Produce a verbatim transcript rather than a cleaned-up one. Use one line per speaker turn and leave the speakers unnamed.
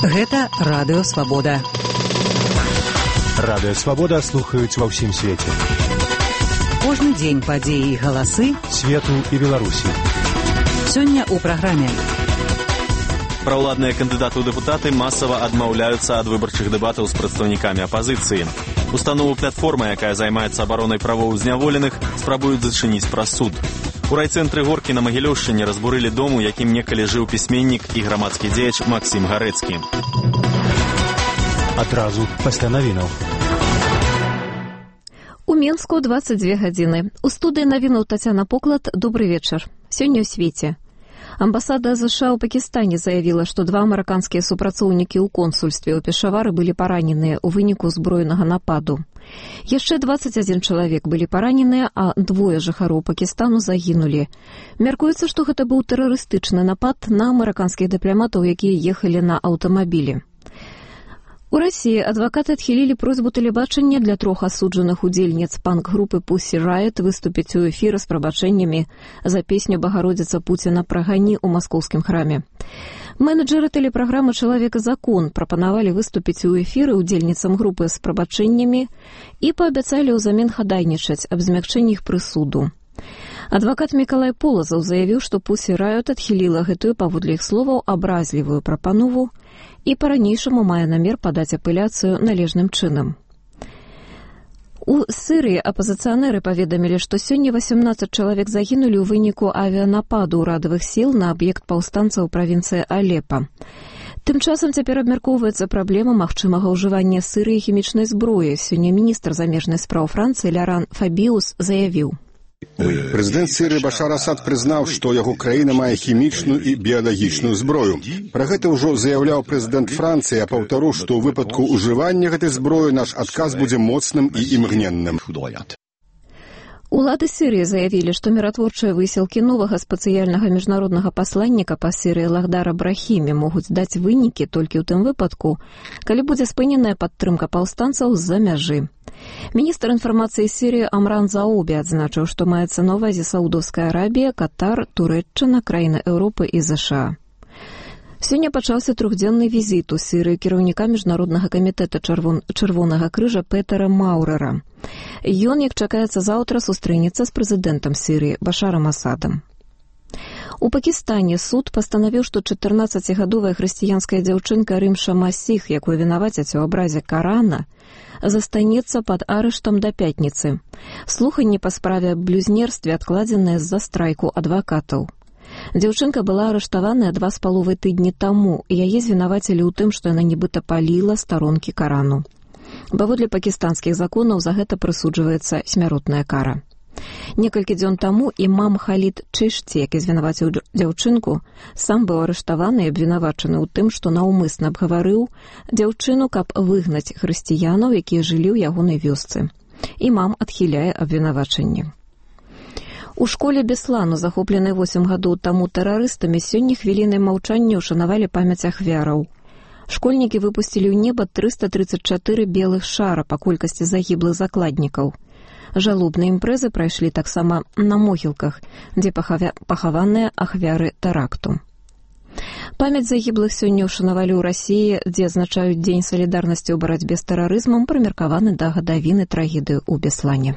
Гэта Радыё Свабода.
Радыё Свабода слухаюць ва ўсім свеце.
Кожны дзень падзеі і галасы
свету і Беларусі.
Сёння ў праграме.
Праўладныя кандыдаты ў дэпутаты масава адмаўляюцца ад выбарчых дэбатаў з прадстаўнікамі апазіцыі. Установу платформа, якая займаецца абаронай правоў зняволеных, спрабуюць зачыніць праз суд. У райцэнтры Горкі на Магілёўшчыне разбурылі дом, у якім некалі жыў пісьменнік і грамадскі дзеяч Максім Гарэцкі.
Адразу пасля навінаў.
У Мінску дваццаць дзве гадзіны. У студыі навінаў Тацяна Поклад. Добры вечар. Сёння ў свеце. Амбасада ЗША ў Пакістане заявіла, што два амерыканскія супрацоўнікі ў консульстве ў Пешавары былі параненыя ў выніку зброенага нападу. Яшчэ дваццаць адзін чалавек былі параненыя, а двое жыхароў Пакістану загінулі. Мяркуецца, што гэта быў тэрарыстычны напад на амерыканскіх дыпламатаў, якія ехалі на аўтамабілі. У Расіі адвакаты адхілілі просьбу тэлебачання для трох асуджаных удзельніц панк-групы Pussy Riot выступіць у эфіры з прабачэннямі за песню «Багародзіца Пуціна прагані» у маскоўскім храме. Менеджеры тэлепраграмы «Чалавек і закон» прапанавалі выступіць у эфіры удзельніцам групы з прабачэннямі і паабяцалі ўзамен хадайнічаць аб змякчэнні іх прысуду. Адвакат Мікалай Полазаў заявіў, што Pussy Riot адхіліла гэтую, паводле іх словаў, абразлівую прапанову і па-ранейшаму мае намер падаць апеляцыю належным чынам. У Сірыі апазіцыянеры паведамілі, што сёння васямнаццаць чалавек загінулі ў выніку авіянападу ўрадавых сіл на аб'ект паўстанцаў у правінцыі Алепа. Тым часам цяпер абмяркоўваецца праблема магчымага ўжывання Сірыі хімічнай зброі. Сёння міністр замежных спраў Францыі Ляран Фабіус заявіў:
Прэзідэнт Сірыі Башар Асад прызнаў, што яго краіна мае хімічную і біялагічную зброю. Пра гэта ўжо заяўляў прэзідэнт Францыі, а паўтару, што ў выпадку ўжывання гэтай зброі наш адказ будзе моцным і імгненным.
Улады Сірыі заявілі, што міратворчыя высілкі новага спецыяльнага міжнароднага пасланніка па Сірыі Лахдара Брахімі могуць даць вынікі толькі ў тым выпадку, калі будзе спыненая падтрымка паўстанцаў з-за мяжы. Міністр інфармацыі Сірыі Амран Заобі адзначыў, што маецца на ўвазе Саудаўская Арабія, Катар, Турэччына, краіны Еўропы і ЗША. Сёння пачаўся трохдзённы візіт у Сірыі кіраўніка міжнароднага камітэта Чырвон... Чырвонага крыжа Петера Маўрэра. Ён, як чакаецца заўтра, сустрэнецца з прэзідэнтам Сірыі Башарам Асадам. У Пакістане суд пастанавіў, што чатырнаццацігадовая хрысціянская дзяўчынка Рымша Масіх, якую вінавацяць у абразе Карана, застанецца пад арыштам да пятніцы. Слуханні па справе аб блюзнерстве адкладзеныя з-за страйку адвакатаў. Дзяўчынка была арыштаваная два з паловай тыдні таму, і яе звінавацілі ў тым, што яна нібыта паліла старонкі Карану. Паводле пакістанскіх законаў за гэта прысуджваецца смяротная кара. Некалькі дзён таму імам Халід Чышці, які звінаваціў дзяўчынку, сам быў арыштаваны і абвінавачаны ў тым, што наўмысна абгаварыў дзяўчыну, каб выгнаць хрысціянаў, якія жылі ў ягонай вёсцы. Імам адхіляе абвінавачанне. У школе Беслану, захопленай восем гадоў таму тэрарыстамі, сёння хвілінай маўчання ўшанавалі памяць ахвяраў. Школьнікі выпусцілі ў неба трыста трыццаць чатыры белых шара па колькасці загіблых закладнікаў. Жалобныя імпрэзы прайшлі таксама на могілках, дзе пахаваныя ахвяры тэракту. Памяць загіблых сёння ўшанавалі ў Расіі, дзе адзначаюць Дзень салідарнасці ў барацьбе з тэрарызмам, прымеркаваны да гадавіны трагедыі ў Беслане.